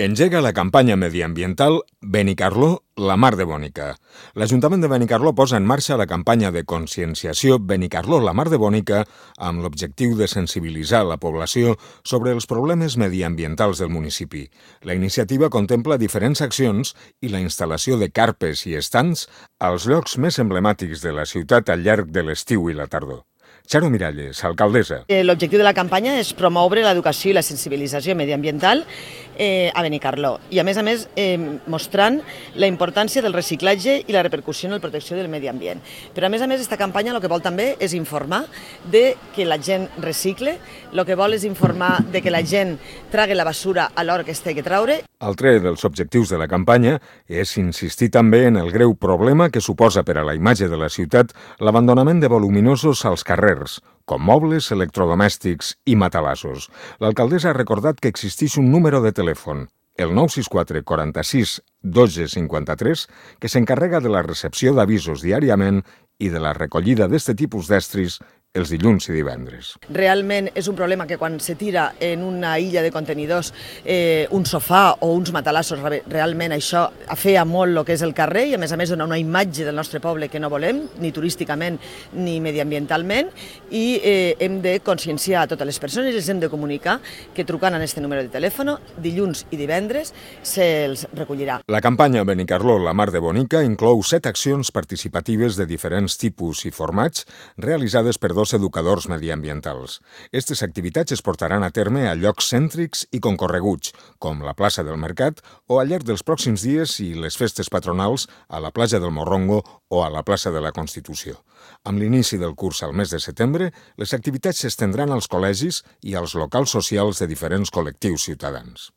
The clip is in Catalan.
Engega la campanya mediambiental Benicarló, la mar de Bònica. L'Ajuntament de Benicarló posa en marxa la campanya de conscienciació Benicarló, la mar de Bònica, amb l'objectiu de sensibilitzar la població sobre els problemes mediambientals del municipi. La iniciativa contempla diferents accions i la instal·lació de carpes i estants als llocs més emblemàtics de la ciutat al llarg de l'estiu i la tardor. Charo Miralles, alcaldessa. L'objectiu de la campanya és promoure l'educació i la sensibilització mediambiental a Benicarló i, a més, mostrant la importància del reciclatge i la repercussió en la protecció del medi ambient. Però, a més, aquesta campanya el que vol també és informar de que la gent recicle, el que vol és informar de que la gent tragui la basura a l'hora que es té que traure. Altre dels objectius de la campanya és insistir també en el greu problema que suposa per a la imatge de la ciutat l'abandonament de voluminosos als carrers, com mobles, electrodomèstics i matalassos. L'alcaldessa ha recordat que existeix un número de telèfon, el 964 46 12 53, que s'encarrega de la recepció d'avisos diàriament i de la recollida d'aquest tipus d'estris els dilluns i divendres. Realment és un problema que quan se tira en una illa de contenidors un sofà o uns matalassos, realment això afea molt el que és el carrer i, a més, dona una imatge del nostre poble que no volem, ni turísticament ni mediambientalment, i hem de conscienciar a totes les persones i els hem de comunicar que trucant a aquest número de telèfon, dilluns i divendres, se'ls recollirà. La campanya Benicarló, la mar de Bònica, inclou 7 accions participatives de diferents tipus i formats realitzades per dos educadors mediambientals. Aquestes activitats es portaran a terme a llocs cèntrics i concorreguts, com la plaça del Mercat, o al llarg dels pròxims dies i les festes patronals a la platja del Morrongo o a la plaça de la Constitució. Amb l'inici del curs al mes de setembre, les activitats s'estendran als col·legis i als locals socials de diferents col·lectius ciutadans.